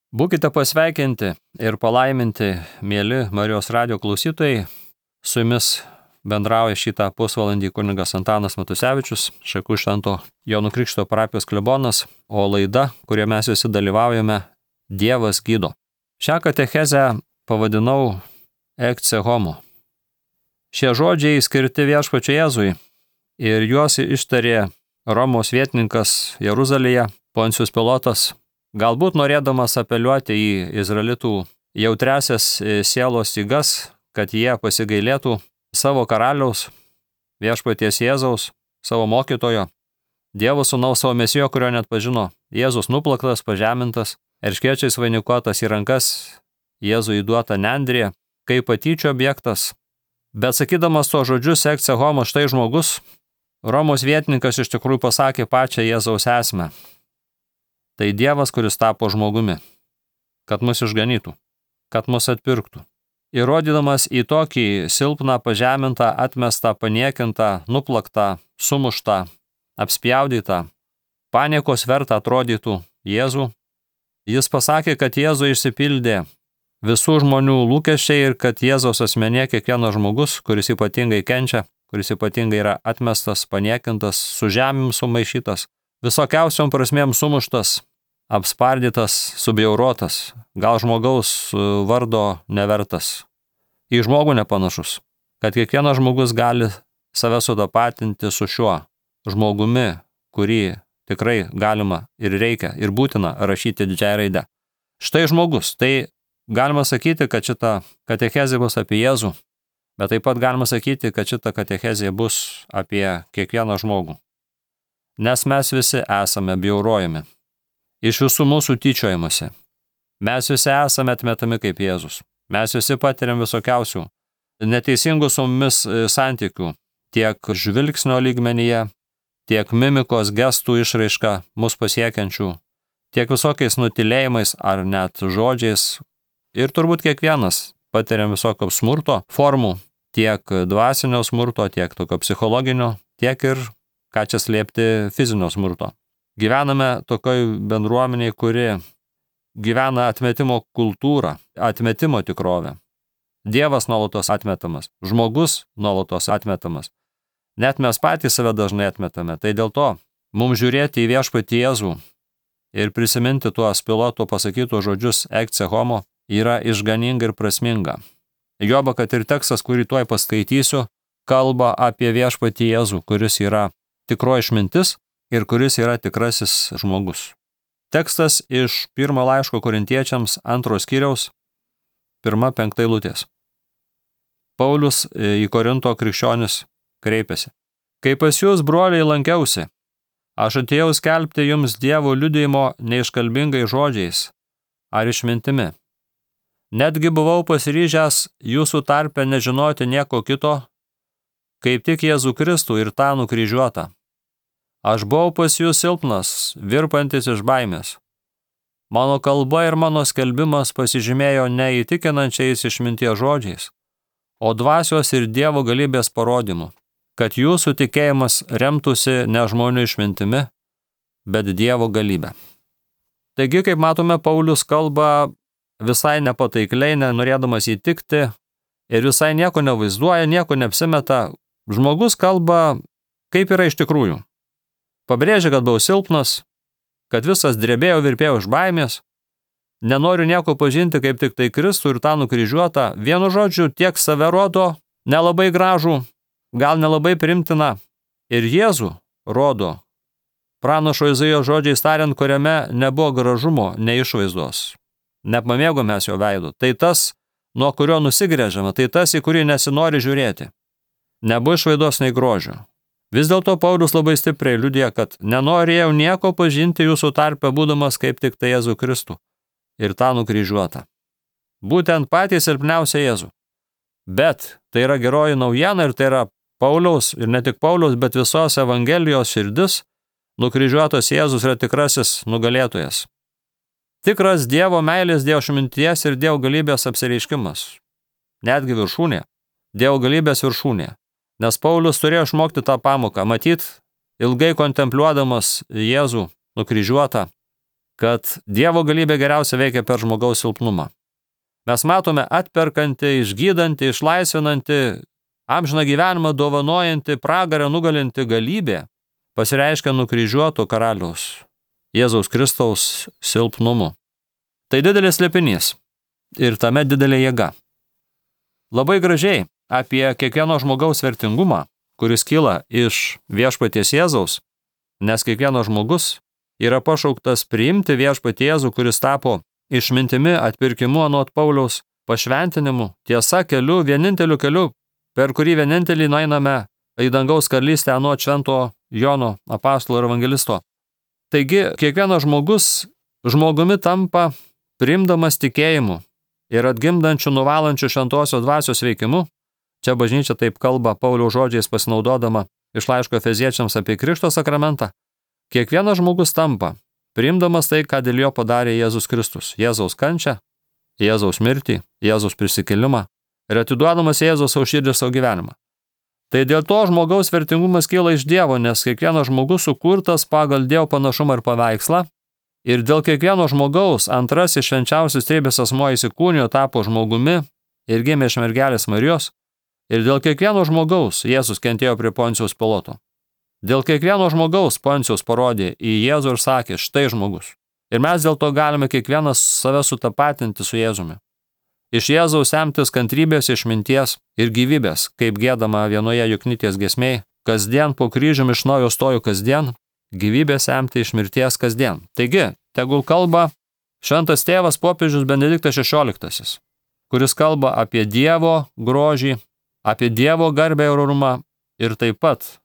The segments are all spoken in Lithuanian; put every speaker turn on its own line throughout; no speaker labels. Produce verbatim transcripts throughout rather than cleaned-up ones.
Būkite pasveikinti ir palaiminti, mėly Marijos radijo klausytojai. Su jumis bendrauja šitą pusvalandį kunigas Antanas Matusevičius, Šakių Švento Jono Krikšto parapijos klebonas, o laida, kurioje mes visi dalyvaujame, Dievas gydo. Šią katechezę pavadinau Ecce Homo. Šie žodžiai skirti Viešpačiui Jėzui ir juos ištarė Romos vietininkas Jeruzalėje, Poncijus Pilotas, galbūt norėdamas apeliuoti į izraelitų jautriasias sielos stygas, kad jie pasigailėtų savo karaliaus, Viešpaties Jėzaus, savo mokytojo, Dievo sūnaus, savo mesijo, kurio net pažino. Jėzus nuplaktas, pažemintas, erškėčiais vainikuotas į rankas, Jėzui įduota nendrė, kaip patyčių objektas. Bet sakydamas to žodžius Ecce Homo, štai žmogus, Romos vietininkas iš tikrųjų pasakė pačią Jėzaus esmę. Tai Dievas, kuris tapo žmogumi, kad mus išganytų, kad mus atpirktų. Įrodydamas į tokį silpną, pažemintą, atmestą, paniekintą, nuplaktą, sumuštą, apspjaudytą, paniekos vertą atrodytų Jėzų, jis pasakė, kad Jėzų išsipildė visų žmonių lūkesčiai ir kad Jėzaus asmenyje kiekvienas žmogus, kuris ypatingai kenčia, kuris ypatingai yra atmestas, paniekintas, su žemėm sumaišytas, visokiausiom prasmėm sumuštas, apspardytas, subjaurotas, gal žmogaus vardo nevertas, į žmogų nepanašus, kad kiekvienas žmogus gali save sudapatinti su šiuo žmogumi, kurį tikrai galima ir reikia ir būtina rašyti didžiąją raidę. Štai žmogus, tai galima sakyti, kad šita katechezė bus apie Jėzų, bet taip pat galima sakyti, kad šita katechezė bus apie kiekvieną žmogų. Nes mes visi esame bjaurojami. Iš visų mūsų tyčiojimasi. Mes visi esame atmetami kaip Jėzus. Mes visi patiriam visokiausių neteisingų su mumis santykių, tiek žvilgsnio lygmenyje, tiek mimikos gestų išraiška mus pasiekiančių, tiek visokiais nutilėjimais ar net žodžiais. Ir turbūt kiekvienas patiriam visokio smurto formų, tiek dvasinio smurto, tiek tokio psichologinio, tiek ir, ką čia slėpti, fizinio smurto. Gyvename tokioj bendruomeniai, kuri gyvena atmetimo kultūrą, atmetimo tikrovę. Dievas nuolatos atmetamas, žmogus nuolatos atmetamas. Net mes patys save dažnai atmetame. Tai dėl to mums žiūrėti į Viešpatį Jėzų ir prisiminti tuos Piloto pasakytus žodžius Ecce Homo yra išganinga ir prasminga. Joba, kad ir tekstas, kurį tuoj paskaitysiu, kalba apie Viešpatį Jėzų, kuris yra tikroji išmintis ir kuris yra tikrasis žmogus. Tekstas iš pirmo laiško Korintiečiams antros skyriaus, pirma penkta eilutės. Paulius į Korinto krikščionis kreipėsi. Kai pas jūs, broliai, lankiausi, aš atėjau skelbti jums Dievo liudijimo neiškalbingai žodžiais ar išmintimi. Netgi buvau pasiryžęs jūsų tarpe nežinoti nieko kito, kaip tik Jėzų Kristų ir tą nukryžiuotą. Aš buvau pas jūs silpnas, virpantis iš baimės. Mano kalba ir mano skelbimas pasižymėjo neįtikinančiais išminties žodžiais, o dvasios ir Dievo galybės parodymu, kad jūsų tikėjimas remtųsi ne žmonių išmintimi, bet Dievo galybę. Taigi, kaip matome, Paulius kalba visai nepataikliai, nenorėdamas įtikti ir visai nieko nevaizduoja, nieko neapsimeta. Žmogus kalba, kaip yra iš tikrųjų. Pabrėžia, kad buvau silpnas, kad visas drebėjau, virpėjau iš baimės, nenoriu nieko pažinti kaip tik tai Kristų ir tą nukryžiuotą. Vienu žodžiu, tiek save rodo, nelabai gražų, gal nelabai primtina, ir Jėzų rodo, pranašo Izaijo žodžiais tariant, kuriame nebuvo gražumo, nei išvaizdos. Nepamėgo mes jo veidu. Tai tas, nuo kurio nusigręžiama, tai tas, į kurį nesinori žiūrėti. Nebuvo išvaidos nei grožio. Vis dėlto Paulius labai stipriai liudija, kad nenorėjau nieko pažinti jūsų tarpe, būdamas kaip tik tai Jėzų Kristų ir tą nukryžiuotą. Būtent patys silpniausia Jėzų. Bet tai yra geroji naujiena ir tai yra Pauliaus, ir ne tik Pauliaus, bet visos Evangelijos širdis. Nukryžiuotas Jėzus yra tikrasis nugalėtojas. Tikras Dievo meilės, Dievo išminties ir Dievo galybės apsireiškimas. Netgi viršūnė. Dievo galybės viršūnė. Nes Paulius turėjo išmokti tą pamoką, matyt, ilgai kontempliuodamas Jėzų nukryžiuotą, kad Dievo galybė geriausia veikia per žmogaus silpnumą. Mes matome atperkantį, išgydantį, išlaisvinantį, amžiną gyvenimą dovanojantį, pragarą nugalinti galybė pasireiškia nukryžiuoto karaliaus Jėzaus Kristaus silpnumu. Tai didelis slėpinys ir tame didelė jėga. Labai gražiai apie kiekvieno žmogaus vertingumą, kuris kyla iš viešpaties Jėzaus, nes kiekvienas žmogus yra pašauktas priimti viešpatį Jėzų, kuris tapo išmintimi, atpirkimu anot Pauliaus, pašventinimu, tiesa keliu, vieninteliu keliu, per kurį vienintelį nueiname į dangaus karalystę anot švento Jono apaštalo ir evangelisto. Taigi, kiekvienas žmogus žmogumi tampa priimdamas tikėjimu ir atgimdančių nuvalančių šventosios dvasios veikimu. Čia bažnyčia taip kalba Pauliaus žodžiais pasinaudodama iš laiško Efeziečiams apie Krikšto sakramentą. Kiekvienas žmogus tampa priimdamas tai, ką dėl jo padarė Jėzus Kristus. Jėzaus kančią, Jėzaus mirtį, Jėzaus prisikėlimą ir atiduodamas Jėzaus savo širdį savo gyvenimą. Tai dėl to žmogaus vertingumas kyla iš Dievo, nes kiekvienas žmogus sukurtas pagal Dievo panašumą ir paveikslą. Ir dėl kiekvieno žmogaus antrasis švenčiausias trejybės asmuo įsikūnijo, tapo žmogumi ir gimė iš mergelės Marijos. Ir dėl kiekvieno žmogaus Jėzus kentėjo prie Poncijos Piloto. Dėl kiekvieno žmogaus Poncijus parodė į Jėzų ir sakė, štai žmogus. Ir mes dėl to galime kiekvienas save sutapatinti su Jėzumi. Iš Jėzaus semtis kantrybės, išminties ir gyvybės, kaip giedama vienoje Juknytės giesmėje, kasdien po kryžiumi iš naujo stoju kasdien, gyvybės semti iš mirties kasdien. Taigi, tegul kalba šventas tėvas popiežius Benediktas šešioliktasis, kuris kalba apie Dievo grožį, apie Dievo garbę ir orumą ir taip pat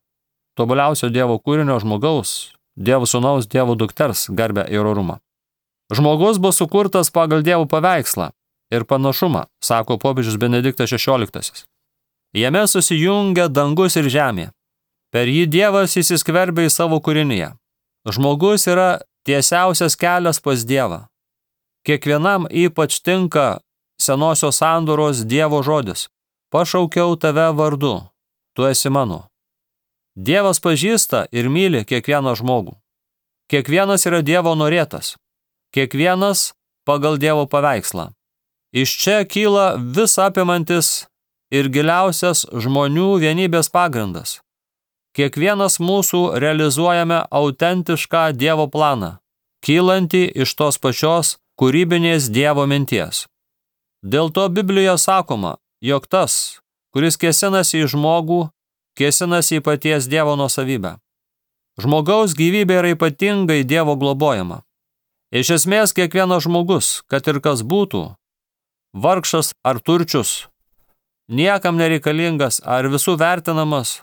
tobuliausio Dievo kūrinio žmogaus, Dievo sūnaus, Dievo dukters garbę ir orumą. Žmogus bus sukurtas pagal Dievo paveikslą ir panašumą, sako popiežius Benediktas šešioliktasis. Jame susijungia dangus ir žemė. Per jį Dievas įsiskverbia į savo kūrinyje. Žmogus yra tiesiausias kelias pas Dievą. Kiekvienam ypač tinka senosios sandoros Dievo žodis. Pašaukiau tave vardu, tu esi mano. Dievas pažįsta ir myli kiekvieną žmogų. Kiekvienas yra Dievo norėtas. Kiekvienas pagal Dievo paveikslą. Iš čia kyla vis apimantis ir giliausias žmonių vienybės pagrindas. Kiekvienas mūsų realizuojame autentišką Dievo planą, kylantį iš tos pačios kūrybinės Dievo minties. Dėl to Biblijoje sakoma, jog tas, kuris kėsinasi į žmogų, kėsinasi į paties Dievo nuosavybę. Žmogaus gyvybė yra ypatingai Dievo globojama. Iš esmės kiekvienas žmogus, kad ir kas būtų, vargšas ar turčius, niekam nereikalingas ar visų vertinamas,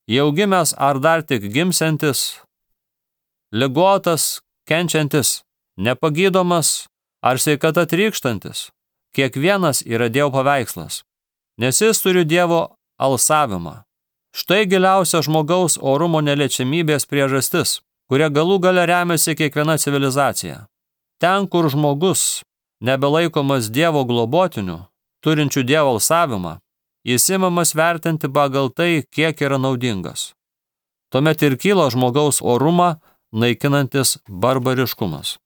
jau gimęs ar dar tik gimsiantis, ligotas, kenčiantis, nepagydomas ar sveikata trykštantis, kiekvienas yra Dievo paveikslas, nes jis turi Dievo alsavimą. Štai giliausia žmogaus orumo neliečiamybės priežastis, kuria galų gale remiasi kiekviena civilizacija. Ten, kur žmogus nebelaikomas Dievo globotiniu, turinčių Dievo alsavimą, jis imamas vertinti pagal tai, kiek yra naudingas. Tuomet ir kyla žmogaus orumą naikinantis barbariškumas.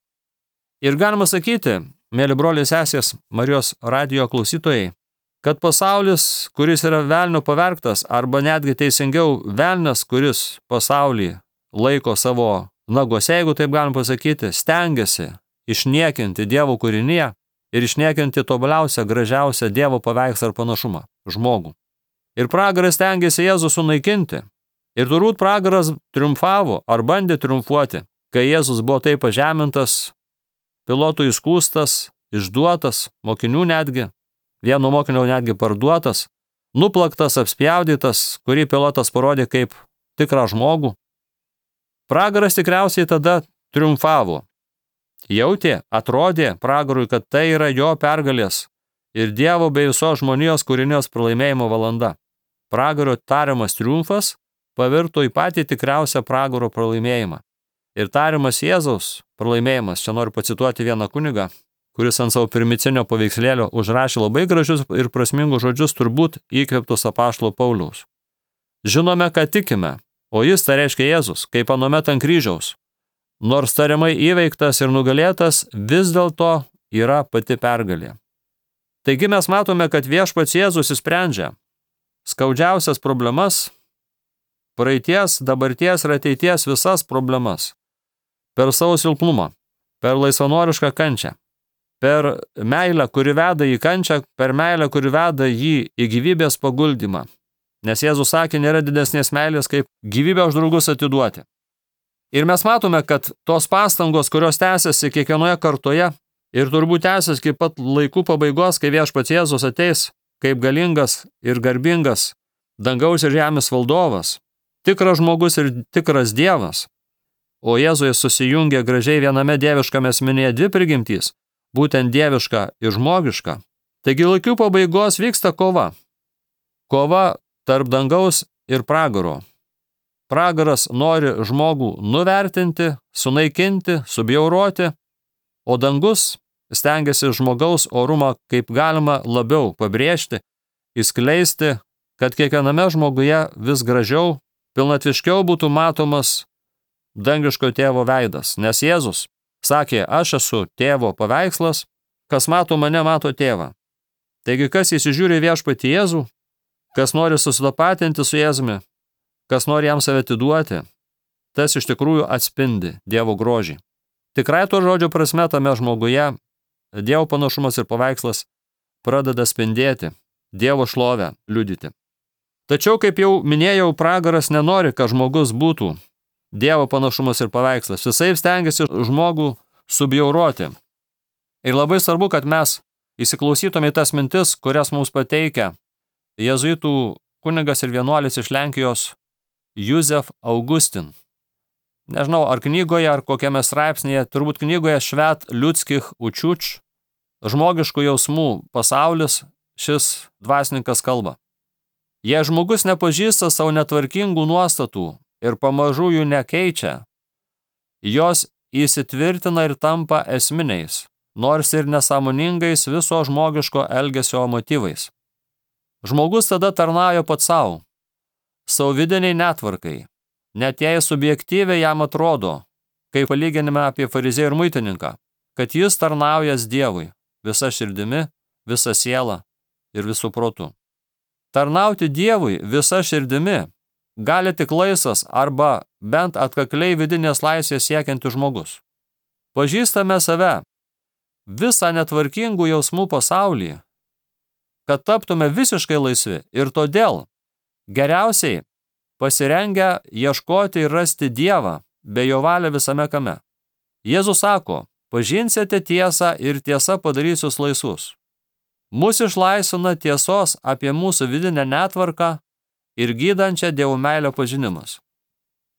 Ir galima sakyti, mėly broliai sesės, Marijos radijo klausytojai, kad pasaulis, kuris yra velnio pavergtas, arba netgi teisingiau velnias, kuris pasaulį laiko savo nagose, jeigu taip galim pasakyti, stengiasi išniekinti Dievo kūrinyje ir išniekinti tobuliausią, gražiausią Dievo paveikslą ir panašumą – žmogų. Ir pragaras stengiasi Jėzų sunaikinti. Ir turbūt pragaras triumfavo ar bandė triumfuoti, kai Jėzus buvo taip pažemintas, Pilotų įskųstas, išduotas, mokinių netgi, vieno mokinio netgi parduotas, nuplaktas, apspjaudytas, kurį Pilotas parodė kaip tikrą žmogų. Pragaras tikriausiai tada triumfavo. Jautė, atrodė pragarui, kad tai yra jo pergalės ir Dievo bei visos žmonijos kūrinijos pralaimėjimo valanda. Pragaro tariamas triumfas pavirto į patį tikriausią pragaro pralaimėjimą. Ir tariamas Jėzaus pralaimėjimas, čia noriu pacituoti vieną kunigą, kuris ant savo primicinio paveikslėlio užrašė labai gražius ir prasmingus žodžius, turbūt įkvėptus apaštalo Pauliaus. Žinome, ką tikime, o jis, tai reiškia Jėzus, kaip anuomet ant kryžiaus, nors tariamai įveiktas ir nugalėtas, vis dėlto yra pati pergalė. Taigi mes matome, kad viešpats Jėzus išsprendžia skaudžiausias problemas, praeities, dabarties ir ateities visas problemas per savo silpnumą, per laisvanorišką kančią, per meilę, kuri veda į kančią, per meilę, kuri veda jį į gyvybės paguldymą. Nes Jėzus sakė, nėra didesnės meilės, kaip gyvybę už draugus atiduoti. Ir mes matome, kad tos pastangos, kurios tęsiasi kiekvienoje kartoje ir turbūt tęsis iki pat laikų pabaigos, kai viešpats Jėzus ateis kaip galingas ir garbingas dangaus ir žemės valdovas, tikras žmogus ir tikras Dievas, o Jėzuje susijungia gražiai viename dieviškame asmenyje dvi prigimtys, būtent dieviška ir žmogiška. Taigi laikų pabaigos vyksta kova. Kova tarp dangaus ir pragaro. Pragaras nori žmogų nuvertinti, sunaikinti, subjauroti, o dangus stengiasi žmogaus orumą kaip galima labiau pabrėžti, įskleisti, kad kiekviename žmoguje vis gražiau, pilnatviškiau būtų matomas dangiško tėvo veidas. Nes Jėzus sakė, aš esu tėvo paveikslas, kas mato mane, mato tėvą. Taigi, kas įsižiūri viešpatį Jėzų, kas nori susitapatinti su Jėzumi, kas nori jam save atiduoti, tas iš tikrųjų atspindi Dievo grožį. Tikrai to žodžio prasme tame žmoguje Dievo panašumas ir paveikslas pradeda spindėti, Dievo šlovę liudyti. Tačiau, kaip jau minėjau, pragaras nenori, kad žmogus būtų Dievo panašumas ir paveikslas. Visai stengiasi žmogų subjauroti. Ir labai svarbu, kad mes įsiklausytume į tas mintis, kurias mums pateikia jėzuitų kunigas ir vienuolis iš Lenkijos Józef Augustin. Nežinau, ar knygoje, ar kokiame straipsnėje, turbūt knygoje Švet liudskich učiuč, žmogiškų jausmų pasaulis, šis dvasininkas kalba. Jei žmogus nepažįsta savo netvarkingų nuostatų ir pamažu jų nekeičia, jos įsitvirtina ir tampa esminiais, nors ir nesąmoningais viso žmogiško elgesio motyvais. Žmogus tada tarnauja pats savo, savo vidiniai netvarkai, net jei subjektyviai jam atrodo, kaip palyginime apie fariziejų ir muitininką, kad jis tarnaujas Dievui visa širdimi, visa siela ir visų protu. Tarnauti Dievui visa širdimi gali tik laisvas arba bent atkakliai vidinės laisvės siekiantis žmogus. Pažįstame save visą netvarkingų jausmų pasaulį, kad taptume visiškai laisvi ir todėl geriausiai pasirengę ieškoti ir rasti Dievą bei jo valią visame kame. Jėzus sako, pažinsite tiesą ir tiesa padarys jūs laisvus. Mūsų išlaisvina tiesos apie mūsų vidinę netvarką ir gydančią Dievo meilę pažinimas.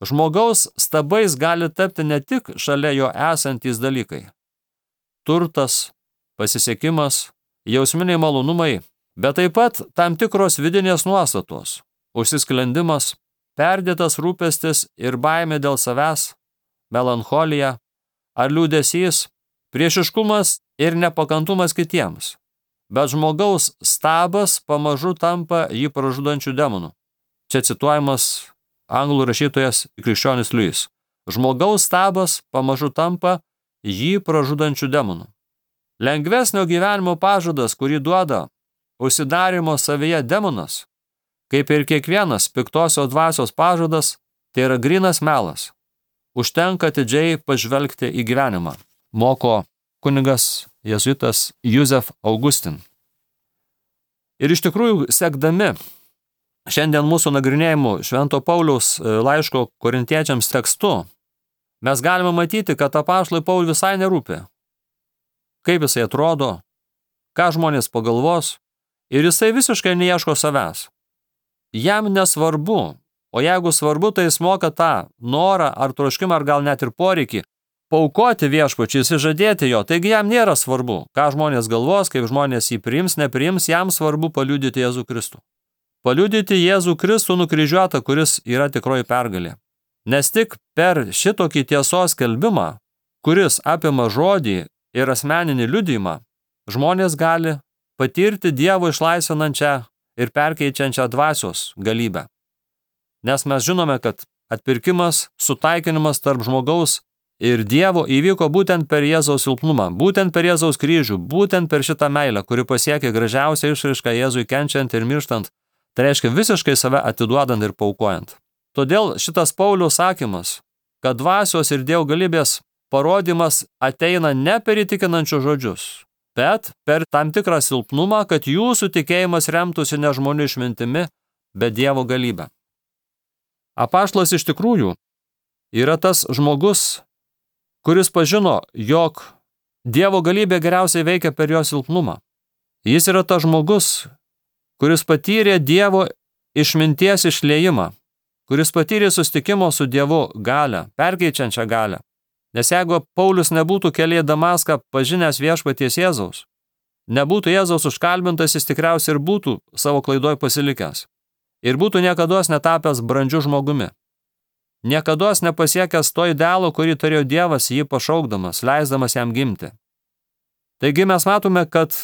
Žmogaus stabais gali tapti ne tik šalia jo esantys dalykai. Turtas, pasisekimas, jausminiai malonumai, bet taip pat tam tikros vidinės nuostatos, užsisklendimas, perdėtas rūpestis ir baimė dėl savęs, melancholija ar liūdesys, priešiškumas ir nepakantumas kitiems. Bet žmogaus stabas pamažu tampa jį pražudančių demonų. Čia cituojamas anglų rašytojas krikščionis Liujis. Žmogaus stabas pamažu tampa jį pražudančių demonų. Lengvesnio gyvenimo pažadas, kurį duoda užsidarimo savyje demonas, kaip ir kiekvienas piktosios dvasios pažadas, tai yra grynas melas. Užtenka atidžiai pažvelgti į gyvenimą, moko kunigas jėzuitas Józef Augustin. Ir iš tikrųjų, sekdami šiandien mūsų nagrinėjimų Švento Pauliaus laiško korintiečiams tekstu, mes galime matyti, kad apaštalui Pauliui visai nerūpi, kaip jisai atrodo, ką žmonės pagalvos, ir jisai visiškai neieško savęs. Jam nesvarbu, o jeigu svarbu, tai jis moka tą norą ar troškimą, ar gal net ir poreikį paaukoti viešpačiui, įsižadėti jo, taigi jam nėra svarbu, ką žmonės galvos, kaip žmonės jį priims, nepriims, jam svarbu paliudyti Jėzų Kristų. Paliudyti Jėzų Kristų nukryžiuotą, kuris yra tikroji pergalė. Nes tik per šitokį tiesos skelbimą, kuris apima žodį ir asmeninį liudijimą, žmonės gali patirti Dievo išlaisvinančią ir perkeičiančią dvasios galybę. Nes mes žinome, kad atpirkimas, sutaikinimas tarp žmogaus ir Dievo įvyko būtent per Jėzaus silpnumą, būtent per Jėzaus kryžių, būtent per šitą meilę, kuri pasiekė gražiausią išraišką Jėzui kenčiant ir mirštant, tai reiškia visiškai save atiduodant ir paukojant. Todėl šitas Pauliaus sakymas, kad dvasios ir Dievo galybės parodymas ateina ne per įtikinančius žodžius, bet per tam tikrą silpnumą, kad jūsų tikėjimas remtųsi ne žmonių išmintimi, bet Dievo galybę. Apaštalas iš tikrųjų yra tas žmogus, kuris pažino, jog Dievo galybė geriausiai veikia per jo silpnumą. Jis yra tas žmogus, kuris patyrė Dievo išminties išliejimą, kuris patyrė susitikimo su Dievu galią, perkeičiančią galią. Nes jeigu Paulius nebūtų kelyje į Damaską pažinęs viešpaties Jėzaus, nebūtų Jėzaus užkalbintas, jis tikriausiai ir būtų savo klaidoj pasilikęs. Ir būtų niekados netapęs brandžiu žmogumi. Niekados nepasiekęs to idealo, kurį turėjo Dievas jį pašaukdamas, leisdamas jam gimti. Taigi mes matome, kad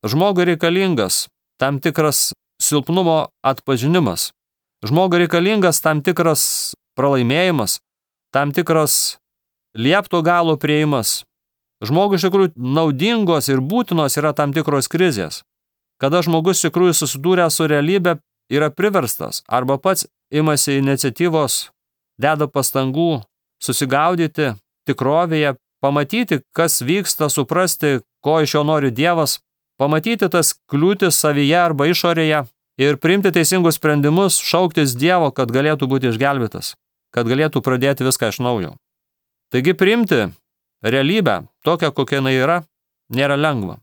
žmogui reikalingas tam tikras silpnumo atpažinimas, žmogui reikalingas tam tikras pralaimėjimas, tam tikras liepto galo prieimas. Žmogui iš tikrųjų naudingos ir būtinos yra tam tikros krizės, kada žmogus iš tikrųjų susidūrė su realybė, yra priverstas arba pats imasi iniciatyvos, deda pastangų susigaudyti tikrovėje, pamatyti, kas vyksta, suprasti, ko iš jo nori Dievas, pamatyti tas kliūtis savyje arba išorėje ir priimti teisingus sprendimus, šauktis Dievo, kad galėtų būti išgelbėtas, kad galėtų pradėti viską iš naujo. Taigi priimti realybę, tokią kokia jinai yra, nėra lengva.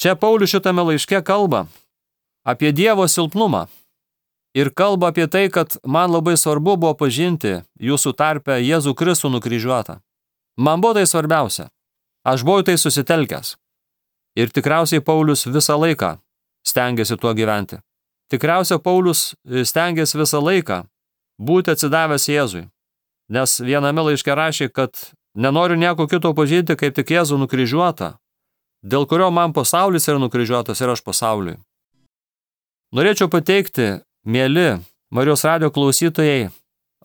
Čia Paulius šitame laiške kalba apie Dievo silpnumą ir kalba apie tai, kad man labai svarbu buvo pažinti jūsų tarpe Jėzų Kristų nukryžiuotą. Man buvo tai svarbiausia. Aš buvau tai susitelkęs. Ir tikriausiai Paulius visą laiką stengiasi tuo gyventi. Tikriausiai Paulius stengiasi visą laiką būti atsidavęs Jėzui. Nes viename laiške rašė, kad nenoriu nieko kito pažinti, kaip tik Jėzų nukryžiuotą, dėl kurio man pasaulis yra nukryžiuotas ir aš pasauliui. Norėčiau pateikti, mieli Marijos radijo klausytojai,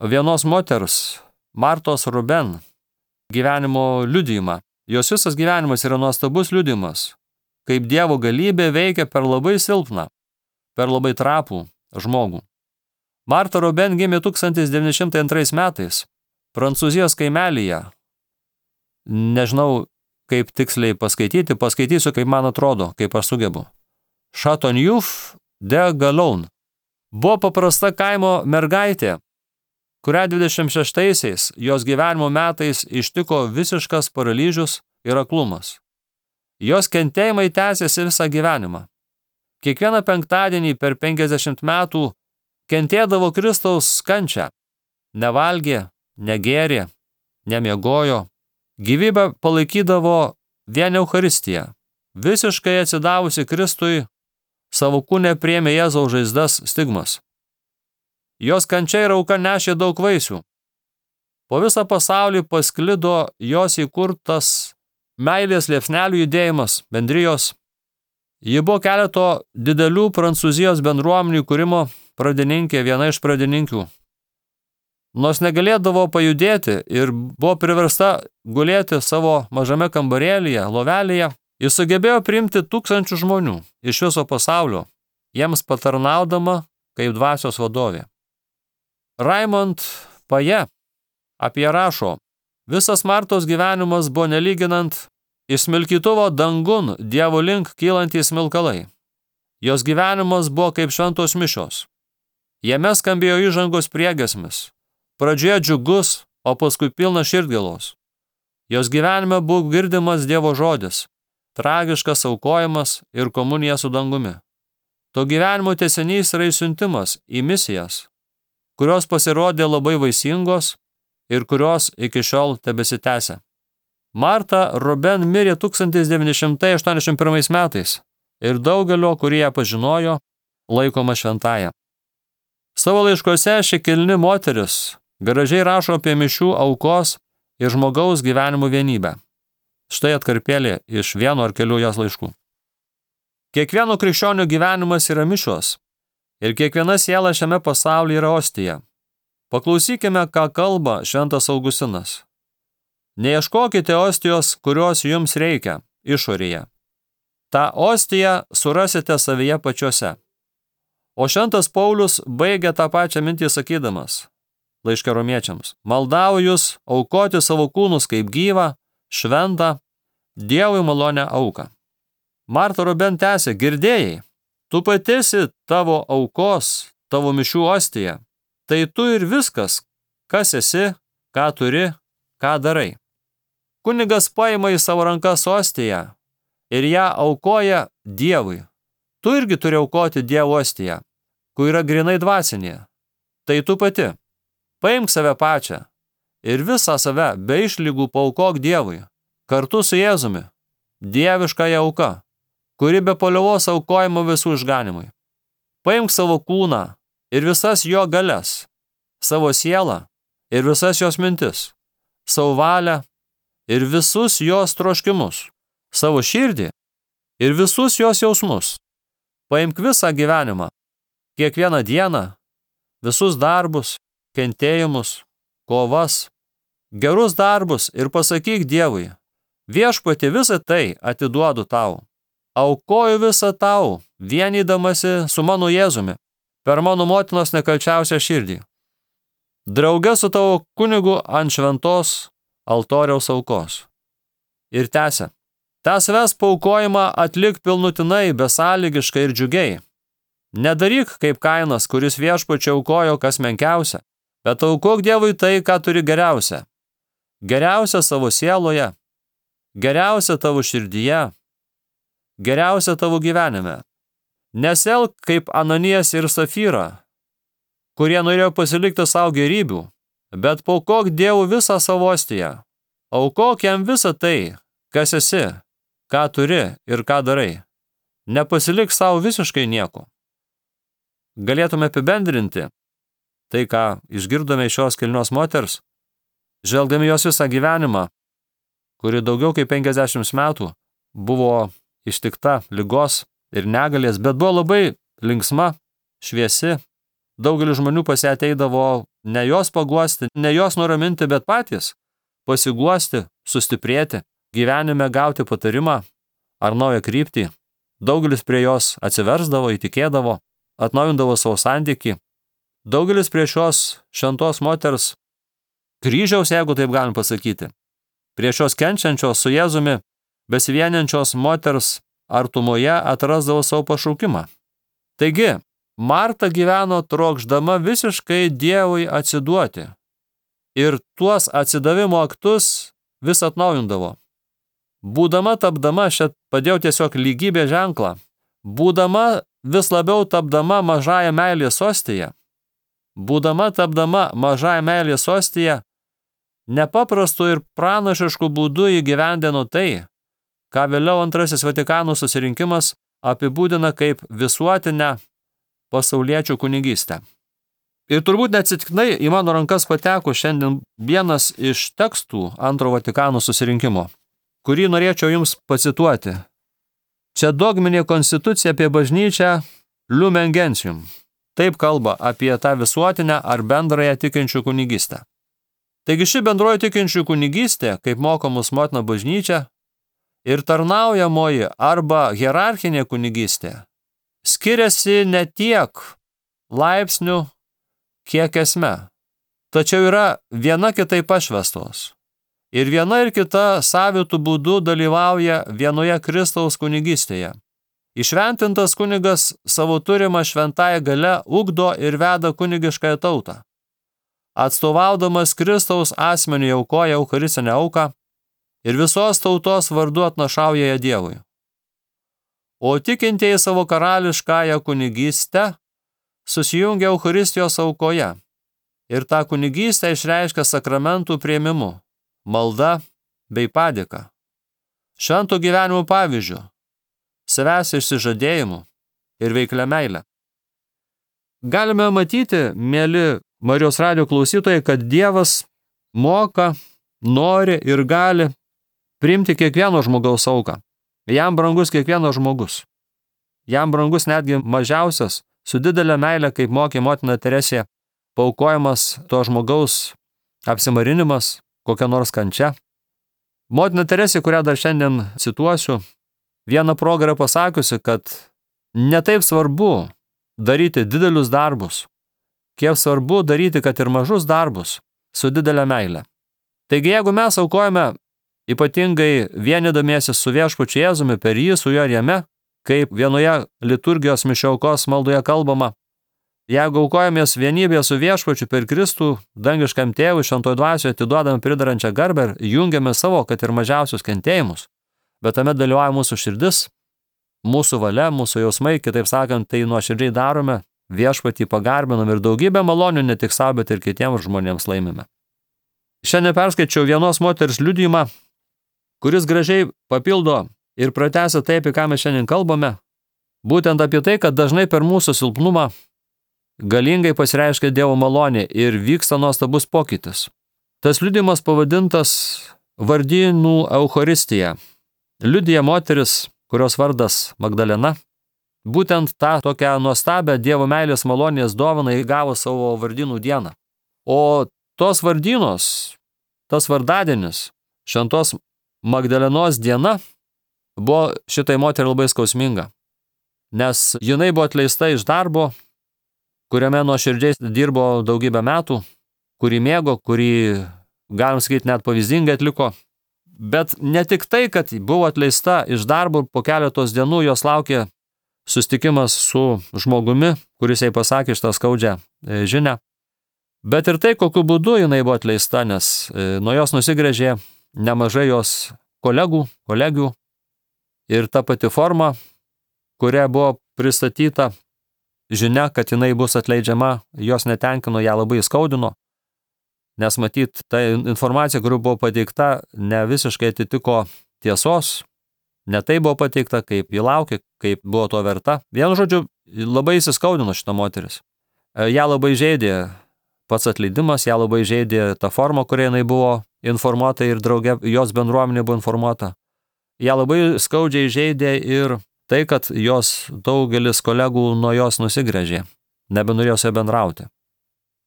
vienos moters, Martos Ruben, gyvenimo liudijimą. Jos visas gyvenimas yra nuostabus liudijimas, kaip Dievo galybė veikia per labai silpną, per labai trapų žmogų. Marta Ruben gimė tūkstantis devyni šimtai antrais metais Prancūzijos kaimelyje. Nežinau, kaip tiksliai paskaityti, paskaitysiu, kaip man atrodo, kaip aš sugebu. Chateauneuf de Galon. Buvo paprasta kaimo mergaitė, kurią dvidešimt šeštaisiais jos gyvenimo metais ištiko visiškas paralyžius ir aklumas. Jos kentėjimai tęsėsi visą gyvenimą. Kiekvieną penktadienį per penkiasdešimt metų kentėdavo Kristaus kančią. Nevalgė, negėrė, nemiegojo. Gyvybę palaikydavo vien Eucharistija. Visiškai atsidavusi Kristui, savo kūne priėmė Jėzaus žaizdas stigmas. Jos kančia ir auka nešė daug vaisių. Po visą pasaulį pasklido jos įkurtas meilės liepsnelių judėjimas, bendrijos. Ji buvo keleto didelių Prancūzijos bendruomenių kūrimo pradininkė, viena iš pradininkių. Nors negalėdavo pajudėti ir buvo priversta gulėti savo mažame kambarėlyje, lovelėje, jis sugebėjo priimti tūkstančių žmonių iš viso pasaulio, jiems patarnaudama kaip dvasios vadovė. Raimond Paje apie rašo, visas Martos gyvenimas buvo nelyginant iš smilkytuvo dangun Dievo link kylantys smilkalai. Jos gyvenimas buvo kaip šventos mišios. Jame skambėjo įžangos priegiesmis. Pradžioje džiugus, o paskui pilna širdgėlos. Jos gyvenime buvo girdimas Dievo žodis, tragiškas aukojimas ir komunija su dangumi. To gyvenimo tęsinys yra išsiuntimas į misijas, kurios pasirodė labai vaisingos ir kurios iki šiol tebesitęsia. Marta Ruben mirė tūkstantis devyni šimtai aštuoniasdešimt pirmais metais ir daugelio, kurie ją pažinojo, laikoma šventąja. Savo laiškuose ši kilni moteris gražiai rašo apie mišių aukos ir žmogaus gyvenimo vienybę. Štai atkarpėlė iš vieno ar kelių jos laiškų. Kiekvieno krikščionių gyvenimas yra mišios ir kiekviena siela šiame pasaulyje yra ostija. Paklausykime, ką kalba šventas Augustinas. Neieškokite ostijos, kurios jums reikia, išorėje. Ta ostiją surasite savyje pačiuose. O šventas Paulius baigia tą pačią mintį sakydamas, laiške romiečiams, maldauju jūs aukoti savo kūnus kaip gyvą, šventą, Dievui malonę auką. Marta Ruben tęsė, girdėjai, tu patisi tavo aukos, tavo mišių ostija, tai tu ir viskas, kas esi, ką turi, ką darai. Kunigas paima į savo rankas ostiją ir ją aukoja Dievui. Tu irgi turi aukoti Dievo ostiją, kur yra grinai dvasinė. Tai tu pati. Paimk save pačią ir visą save be išlygų paaukok Dievui, kartu su Jėzumi, dieviškąja auka, kuri be paliovos aukojama visų išganimui. Paimk savo kūną ir visas jo galias, savo sielą ir visas jos mintis, savo valią ir visus jos troškimus, savo širdį ir visus jos jausmus. Paimk visą gyvenimą, kiekvieną dieną, visus darbus, kentėjimus, kovas, gerus darbus ir pasakyk Dievui, viešpatie visą tai atiduodu tau. Aukoju visą tau, vienydamasi su mano Jėzumi, per mano motinos nekalčiausią širdį. Drauge su tavo kunigu ant šventos altoriaus aukos. Ir tęsia, tą savęs paaukojimą atlik pilnutinai, besąlygiškai ir džiugiai. Nedaryk kaip Kainas, kuris viešpačiui aukojo kas menkiausia, bet aukok Dievui tai, ką turi geriausia. Geriausia savo sieloje, geriausia tavo širdyje, geriausia tavo gyvenime. Neselk kaip Ananijas ir Safyra, kurie norėjo pasilikti savo gerybių, bet paaukok Dievui visą savo ostiją. Aukok jam visą tai, kas esi, ką turi ir ką darai. Nepasilik savo visiškai nieko. Galėtume apibendrinti tai, ką išgirdome iš šios kilnios moters, žvelgdami jos visą gyvenimą, kuri daugiau kaip penkiasdešimt metų buvo ištikta ligos ir negalės, bet buvo labai linksma, šviesi. Daugelis žmonių pas ją ateidavo ne jos paguosti, ne jos nuraminti, bet patys pasiguosti, sustiprėti, gyvenime gauti patarimą ar naują kryptį. Daugelis prie jos atsiversdavo, įtikėdavo, atnaujindavo savo santykį. Daugelis prie šios šventos moters kryžiaus, jeigu taip galim pasakyti, prie šios kenčiančios su Jėzumi besivieniančios moters artumoje atrasdavo savo pašaukimą. Taigi, Marta gyveno trokšdama visiškai Dievui atsiduoti ir tuos atsidavimo aktus vis atnaujindavo. Būdama tapdama, šią padėjau tiesiog lygybės ženklą, būdama vis labiau tapdama mažąją meilės ostiją, būdama tapdama mažąją meilės ostiją, nepaprastu ir pranašišku būdu įgyvendino tai, ką vėliau antrasis Vatikano susirinkimas apibūdina kaip visuotinę pasauliečių kunigystę. Ir turbūt neatsitiktinai į mano rankas pateko šiandien vienas iš tekstų antro Vatikano susirinkimo, kurį norėčiau jums pacituoti. Čia dogminė konstitucija apie bažnyčią Lumen Gentium. Taip kalba apie tą visuotinę ar bendrąją tikinčių kunigystę. Taigi ši bendroji tikinčių kunigystė, kaip moko mus motina bažnyčia, ir tarnaujamoji arba hierarchinė kunigystė skiriasi ne tiek laipsnių, kiek esme, tačiau yra viena kitai pašvestos. Ir viena ir kita savitų būdų dalyvauja vienoje Kristaus kunigystėje. Įšventintas kunigas savo turimą šventąją gale ugdo ir veda kunigiškąją tautą. Atstovaudamas Kristaus asmeniui aukoja eucharistinę auką ir visos tautos vardu atnašauja ją Dievui. O tikintieji savo karališkąją kunigystę susijungia Eucharistijos aukoje ir tą kunigystę išreiškia sakramentų priėmimu, malda bei padėka, švento gyvenimo pavyzdžiu, savęs išsižadėjimu ir veiklia meile. Galime matyti, mėly Marijos radijo klausytojai, kad Dievas moka, nori ir gali priimti kiekvieno žmogaus auką. Jam brangus kiekvienas žmogus. Jam brangus netgi mažiausias, su didelė meile, kaip mokė motina Teresė, paaukojamas to žmogaus apsimarinimas, kokia nors kančia. Motina Teresė, kurią dar šiandien cituosiu, vieną progą yra pasakiusi, kad netaip svarbu daryti didelius darbus, kiek svarbu daryti, kad ir mažus darbus su didelė meile. Taigi, jeigu mes aukojame ypatingai vienydamiesi su viešpačiu Jėzumi per jį, su juo ir jame, kaip vienoje liturgijos mišiaukos maldoje kalbama, jeigu aukojamės vienybėje su viešpačiu per Kristų, dangiškam tėvui, šventoje dvasioje atiduodame pridarančią garbę ir jungiame savo, kad ir mažiausius kentėjimus, bet tame dalyvauja mūsų širdis, mūsų valia, mūsų jausmai, kitaip sakant, tai nuoširdžiai darome, viešpatį pagarbinam ir daugybę malonių ne tik savo, bet ir kitiems žmonėms laimime. Šiandien perskaičiau vienos moters liudijimą, kuris gražiai papildo ir pratęsia tai, apie ką mes šiandien kalbame, būtent apie tai, kad dažnai per mūsų silpnumą galingai pasireiškia Dievo malonė ir vyksta nuostabus pokytis. Tas liudijimas pavadintas vardynų Eucharistija. Liudija moteris, kurios vardas Magdalena, būtent tą tokią nuostabią Dievo meilės malonės dovaną įgavo savo vardynų dieną. O tos vardynos, tas vardadienis, šventos Magdalenos diena, buvo šitai moteriai labai skausminga, nes jinai buvo atleista iš darbo, kuriame nuoširdžiai dirbo daugybę metų, kurį mėgo, kurį, galim sakyti, net pavyzdingai atliko. Bet ne tik tai, kad buvo atleista iš darbo, po keletos dienų jos laukė susitikimas su žmogumi, kuris jai pasakė šitą skaudžią žinią, bet ir tai, kokiu būdu jinai buvo atleista, nes nuo jos nusigręžė nemažai jos kolegų, kolegių ir ta pati forma, kuria buvo pristatyta žinia, kad jinai bus atleidžiama, jos netenkino, ją labai skaudino, nes matyt, ta informacija, kuri buvo pateikta, ne visiškai atitiko tiesos, ne tai buvo pateikta, kaip ji laukė, kaip buvo to verta. Vienu žodžiu, labai įsiskaudino šita moteris. Ją labai žeidė pats atleidimas, ją labai žeidė ta forma, kuria jinai buvo informuota ir draugė, jos bendruomenė buvo informuota. Ją labai skaudžiai žeidė ir tai, kad jos daugelis kolegų nuo jos nusigręžė, nebenorėjo su ja bendrauti.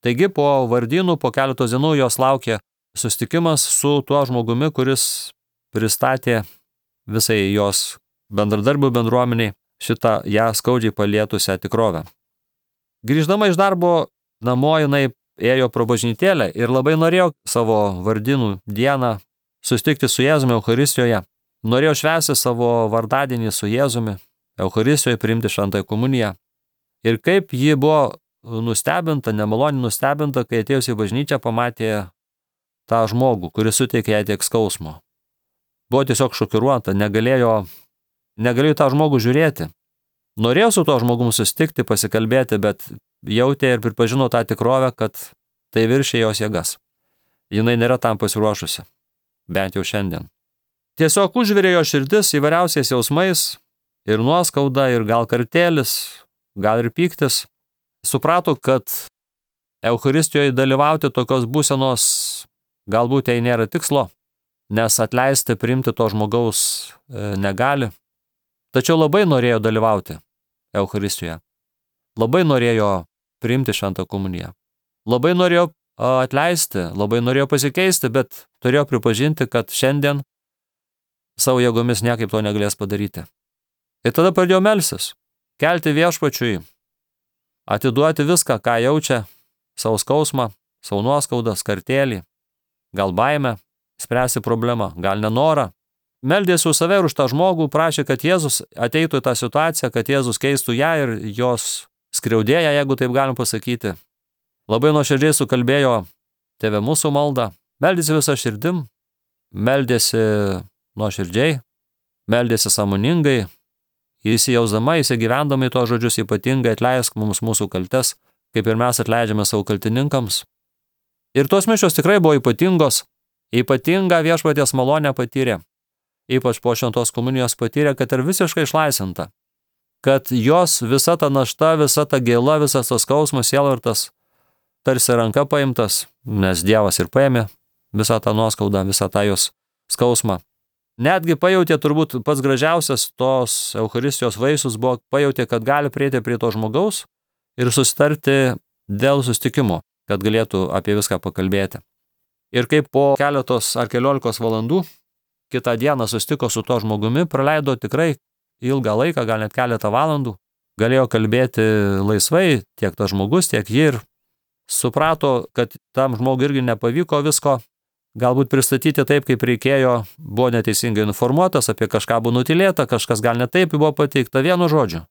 Taigi po vardynų, po keletos dienų jos laukė susitikimas su tuo žmogumi, kuris pristatė visai jos bendradarbių bendruomeniai šitą ją skaudžiai palietusią tikrovę. Grįždama iš darbo namo, jinai ėjo pro bažnytėlę ir labai norėjo savo vardynų dieną susitikti su Jėzumi Eucharistijoje. Norėjo švęsti savo vardadienį su Jėzumi, Eucharistijoje priimti šventąją komuniją. Ir kaip ji buvo nustebinta, nemaloniai nustebinta, kai atėjus į bažnyčią pamatė tą žmogų, kuris suteikė jai tiek skausmo. Buvo tiesiog šokiruota, negalėjo, negalėjo tą žmogų žiūrėti. Norėjo su to žmogum susitikti, pasikalbėti, bet jautė ir pripažino tą tikrovę, kad tai viršė jos jėgas. Jinai nėra tam pasiruošusi, bent jau šiandien. Tiesiog užvirė jo širdis įvairiausiais jausmais ir nuoskauda, ir gal kartėlis, gal ir pyktis. Suprato, kad Eucharistijoje dalyvauti tokios būsenos galbūt jai nėra tikslo, nes atleisti, priimti to žmogaus negali. Tačiau labai norėjo dalyvauti Eucharistijoje. Labai norėjo priimti šventą komuniją. Labai norėjo atleisti, labai norėjo pasikeisti, bet turėjo pripažinti, kad šiandien savo jėgomis niekaip to negalės padaryti. Ir tada pradėjo melstis, kelti viešpačiui, atiduoti viską, ką jaučia, savo skausmą, savo nuoskaudą, kartėlį, gal baimę, spręsti problemą, gal nenorą. Meldėsi už save ir už tą žmogų, prašė, kad Jėzus ateitų į tą situaciją, kad Jėzus keistų ją ir jos skriaudėją, jeigu taip galim pasakyti. Labai nuoširdžiai sukalbėjo Tėve mūsų maldą, meldėsi visą širdim, meldėsi nuoširdžiai, meldėsi sąmoningai, įsijausdama, įsigyvendama į to žodžius, ypatingai atleisk mums mūsų kaltes, kaip ir mes atleidžiame savo kaltininkams. Ir tos mišios tikrai buvo ypatingos, ypatingą viešpaties malonę patyrė, ypač po šventos komunijos patyrė, kad ir visiškai išlaisvinta, kad jos visa ta našta, visa ta gėla, visas tas skausmas, sielvartas, tarsi ranka paimtas, nes Dievas ir paėmė visą tą nuoskaudą, visą tą jos skausmą. Netgi pajautė, turbūt pats gražiausias tos Eucharistijos vaisius buvo, pajautė, kad gali prieiti prie to žmogaus ir susitarti dėl susitikimo, kad galėtų apie viską pakalbėti. Ir kaip po keletos ar keliolikos valandų kitą dieną susitiko su to žmogumi, praleido tikrai ilgą laiką, gal net keletą valandų, galėjo kalbėti laisvai tiek tas žmogus, tiek ji ir suprato, kad tam žmogui irgi nepavyko visko galbūt pristatyti taip, kaip reikėjo, buvo neteisingai informuotas, apie kažką buvo nutilėta, kažkas gal ne taip buvo pateikta vienu žodžiu.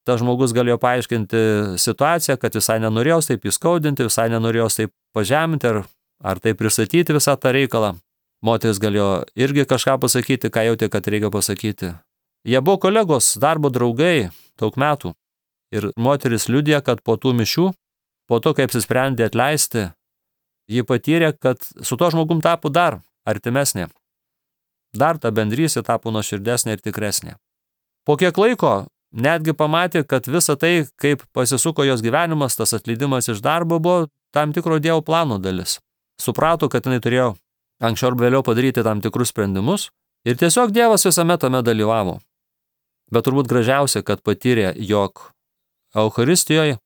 Tas žmogus galėjo paaiškinti situaciją, kad visai nenorėjo taip įskaudinti, visai nenorėjo taip pažeminti ar, ar taip pristatyti visą tą reikalą. Moteris galėjo irgi kažką pasakyti, ką jautė, kad reikia pasakyti. Jie buvo kolegos, darbo draugai daug metų. Ir moteris liudija, kad po tų mišių, po to, kai apsisprendė atleisti, ji patyrė, kad su to žmogum tapo dar artimesnė. Dar ta bendrystė tapo nuoširdesnė ir tikresnė. Po kiek laiko netgi pamatė, kad visa tai, kaip pasisuko jos gyvenimas, tas atleidimas iš darbo, buvo tam tikro Dievo plano dalis. Suprato, kad jinai turėjo anksčiau ar vėliau padaryti tam tikrus sprendimus ir tiesiog Dievas visame tame dalyvavo. Bet turbūt gražiausia, kad patyrė, jog Eucharistijoje,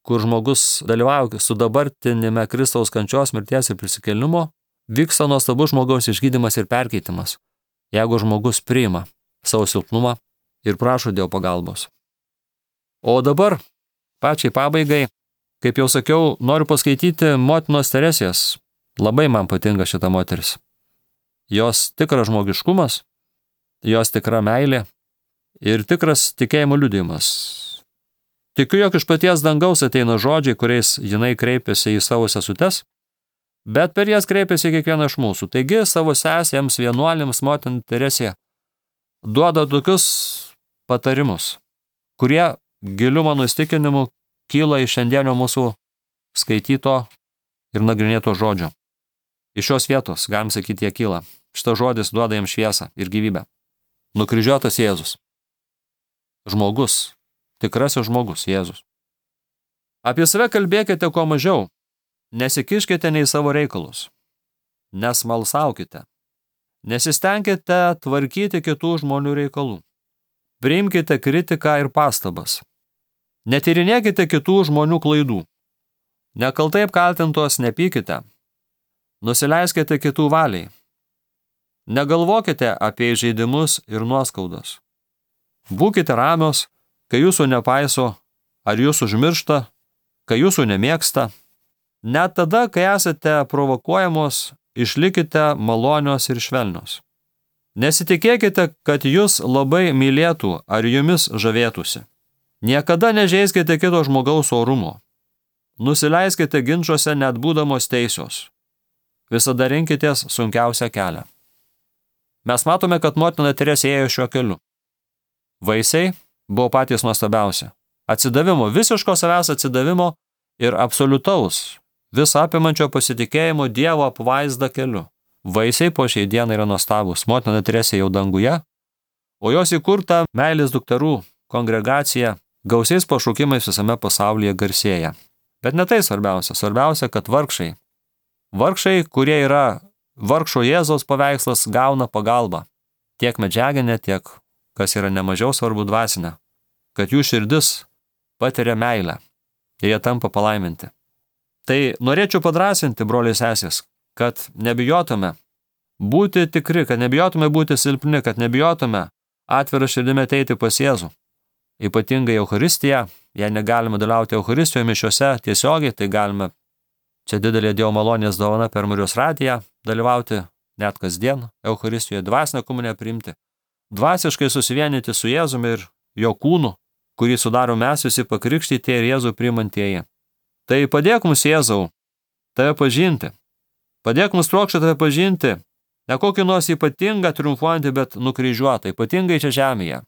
kur žmogus dalyvauja su dabartinime Kristaus kančios, mirties ir prisikėlimo, vyksta nuostabus žmogaus išgydymas ir perkeitimas, jeigu žmogus priima savo silpnumą ir prašo Dievo pagalbos. O dabar, pačiai pabaigai, kaip jau sakiau, noriu paskaityti motinos Teresės. Labai man patinka šita moteris. Jos tikras žmogiškumas, jos tikra meilė ir tikras tikėjimo liudijimas. Tikiu, jog iš paties dangaus ateina žodžiai, kuriais jinai kreipiasi į savo sesutes, bet per jas kreipiasi kiekvieną iš mūsų. Taigi savo sesėms, vienuolėms, motina Teresė duoda tokius patarimus, kurie giliu mano įsitikinimu kyla iš šiandienio mūsų skaityto ir nagrinėto žodžio. Iš šios vietos, galim sakyti, jie kyla. Šitas žodis duoda jiems šviesą ir gyvybę. Nukryžiuotas Jėzus. Žmogus. Tikrasis žmogus, Jėzus. Apie save kalbėkite kuo mažiau. Nesikiškite nei savo reikalus. Nesmalsaukite. Nesistengkite tvarkyti kitų žmonių reikalų. Priimkite kritiką ir pastabas. Netyrinėkite kitų žmonių klaidų. Nekaltai apkaltintos nepykite. Nusileiskite kitų valiai. Negalvokite apie įžeidimus ir nuoskaudas. Būkite ramios, kai jūsų nepaiso, ar jūs užmiršta, kai jūsų nemėgsta. Net tada, kai esate provokuojamos, išlikite malonios ir švelnios. Nesitikėkite, kad jūs labai mylėtų ar jumis žavėtųsi. Niekada nežeiskite kito žmogaus orumo. Nusileiskite ginčuose net būdamos teisios. Visada rinkitės sunkiausią kelią. Mes matome, kad motina Teresė ėjo šiuo keliu. Vaisiai buvo patys nuostabiausi. Atsidavimo, visiško savęs atsidavimo ir absoliutaus, visą apimančio pasitikėjimo Dievo apvaizda keliu. Vaisiai po šiai dienai yra nuostabus. Motina Teresė jau danguje, o jos įkurta meilės dukterų kongregacija gausiais pašaukimais visame pasaulyje garsėja. Bet ne tai svarbiausia. Svarbiausia, kad vargšai, vargšai, kurie yra vargšo Jėzaus paveikslas, gauna pagalbą. Tiek medžiaginė, tiek, kas yra nemažiau svarbu, dvasinė. Kad jų širdis patiria meilę ir jie tampa palaiminti. Tai norėčiau padrasinti, broliai sesės, kad nebijotume būti tikri, kad nebijotume būti silpni, kad nebijotume atvirą širdimi ateiti pas Jėzų. Ypatingai Eucharistiją, jei negalime dalyvauti Eucharistijoje mišiuose tiesiogiai, tai galime, čia didelė Dievo malonės dovana per Marijos radiją, dalyvauti net kasdien Eucharistijoje, dvasinę komuniją priimti, dvasiškai susivienyti su Jėzumi ir jo kūnu, kurį sudaro mes visi pakrikštyti ir Jėzų priimantieji. Tai padėk mums, Jėzau, tave pažinti. Padėk mums trokšti tave pažinti, ne kokį nors ypatingą triumfuojantį, bet nukryžiuotą, ypatingai čia žemėje.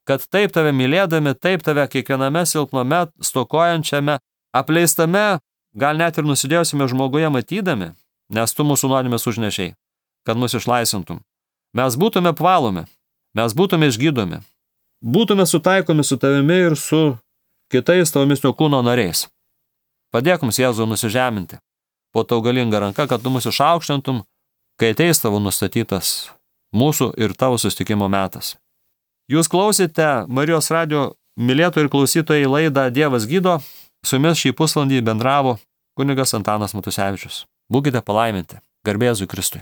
Kad taip tave mylėdami, taip tave kiekviename silpname, stokojančiame, apleistame, gal net ir nusidėjusime žmoguje matydami, nes tu mūsų nuodėmes užnešiai, kad mus išlaisvintum. Mes būtume apvalomi, mes būtume išgydomi, būtume sutaikomi su tavimi ir su kitais tavomis jo kūno nariais. Padėk mums, Jėzau, nusižeminti po tau galingą ranką, kad tu mus išaukštintum, kai ateis tavo nustatytas mūsų ir tavo susitikimo metas. Jūs klausite Marijos radijo mylėtojų ir klausytojai laidą Dievas gydo. Su jumis šį pusvalandį bendravo kunigas Antanas Matusevičius. Būkite palaiminti. Garbė Jėzui Kristui.